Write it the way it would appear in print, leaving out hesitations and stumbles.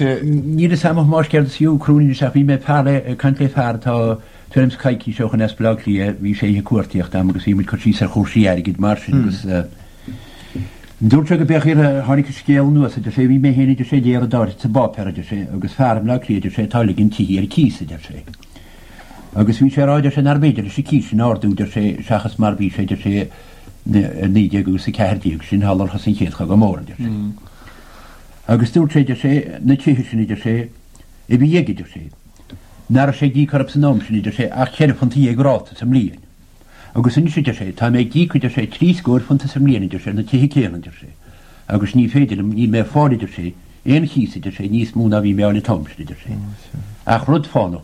Níl fhios a'm a Thomáis céard is fiú cruinn anois ach bhí mé fear le, ag caint le fear atá tuairim is coicís ó shoin as Baile Átha Cliath, bhí sé oíche cuartaíochta a'm agus bhí muid cur síos ar chúrsaí airgid mar sin agus dúirt sé go b'é a tháinig an scéal anuas a deir sé, bhí mé féin a deir sé ag léamh rud áirithe sa bpáipéar a deir sé agus fear i mBleá Cliath a deir sé atá ag ligean tithe ar cíos a deir sé. Agus bhí sé ag rá a deir sé nár bhféidir leis an cíos sin a ardú a deir sé seachas mar bhí sé a deir sé i 19 agus 14 sin shular thosaigh an Chéad Chogadh Mór a deir sé. Agus dúirt sé, deir sé, na tithe sin, a deir sé, a bhí aige, a deir sé, nach raibh sé ag íoc orthu san am sin, a deir sé, ach £14 ráta sa mbliain. Agus anois, a deir sé, tá mé ag íoc, a deir sé, £70 sa mbliain, a deir sé, ar na tithe céanna, a deir sé, agus ní féidir liom, níl mé ag fáil, a deir sé, aon chíos, a deir sé, níos mó ná bhí mé a fháil an t-am sin, a deir sé. Ach rud fánach.